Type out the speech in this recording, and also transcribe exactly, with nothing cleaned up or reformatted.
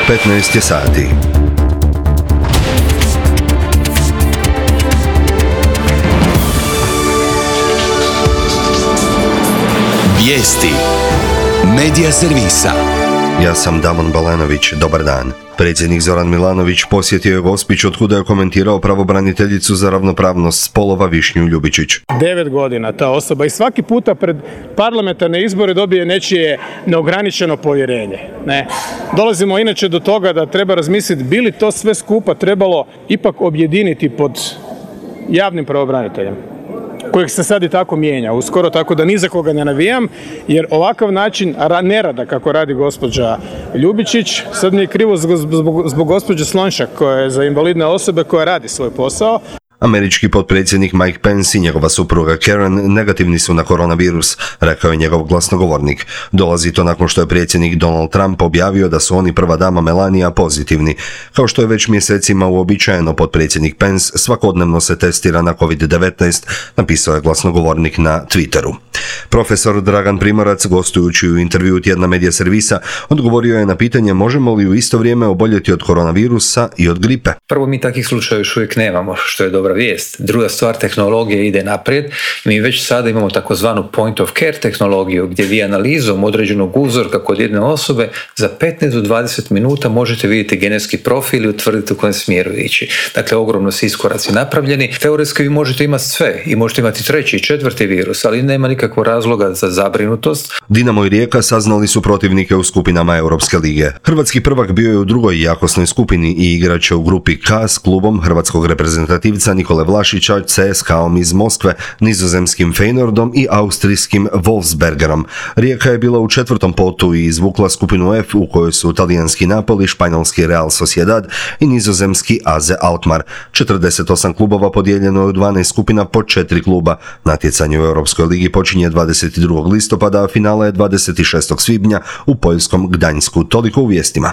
petnaest je sati. Vijesti Medija servisa. Ja sam Damon Balanović, dobar dan. Predsjednik Zoran Milanović posjetio je Gospić, otkuda je komentirao pravobraniteljicu za ravnopravnost spolova Višnju Ljubičić. Devet godina ta osoba i svaki puta pred parlamentarne izbore dobije nečije neograničeno povjerenje. Ne. Dolazimo inače do toga da treba razmisliti bi li to sve skupa trebalo ipak objediniti pod javnim pravobraniteljem, kojeg se sad i tako mijenja uskoro, tako da ni za koga ne navijam, jer ovakav način nerada kako radi gospođa Ljubičić, sad mi je krivo zbog, zbog, zbog gospođe Slonjšak koja je za invalidne osobe koja radi svoj posao. Američki potpredsjednik Mike Pence i njegova supruga Karen negativni su na koronavirus, rekao je njegov glasnogovornik. Dolazi to nakon što je predsjednik Donald Trump objavio da su oni prva dama Melania pozitivni. Kao što je već mjesecima uobičajeno, potpredsjednik Pence svakodnevno se testira na kovid devetnaest, napisao je glasnogovornik na Twitteru. Profesor Dragan Primorac, gostujući u intervjuu tjedna Medija servisa, odgovorio je na pitanje možemo li u isto vrijeme oboljeti od koronavirusa i od gripe. Prvo, mi takvih slučajeva još uvijek nemamo, što je dobra vijest. Druga stvar, tehnologija ide naprijed. Mi već sada imamo takozvanu point of care tehnologiju, gdje vi analizom određenog uzorka kod jedne osobe za petnaest do dvadeset minuta možete vidjeti genetski profil i utvrditi u kojem smjeru ići. Dakle, ogromno su iskoraci napravljeni. Teoretski vi možete imati sve i možete imati treći i četvrti virus, ali nema nikakvog razloga za zabrinutost. Dinamo i Rijeka saznali su protivnike u skupinama Europske lige. Hrvatski prvak bio je u drugoj jakosnoj skupini i igrat će u grupi K s klubom hrvatskog reprezentativca Nikole Vlašića, C S K om iz Moskve, nizozemskim Feyenoordom i austrijskim Wolfsbergerom. Rijeka je bila u četvrtom potu i izvukla skupinu F u kojoj su talijanski Napoli, španjolski Real Sociedad i nizozemski A Z Alkmaar. četrdeset osam klubova podijeljeno je u dvanaest skupina po četiri kluba. Natjecanje u Europskoj ligi počinje dvadeset drugog listopada, a finale je dvadeset šestog svibnja u poljskom Gdańsku. Toliko u vijestima.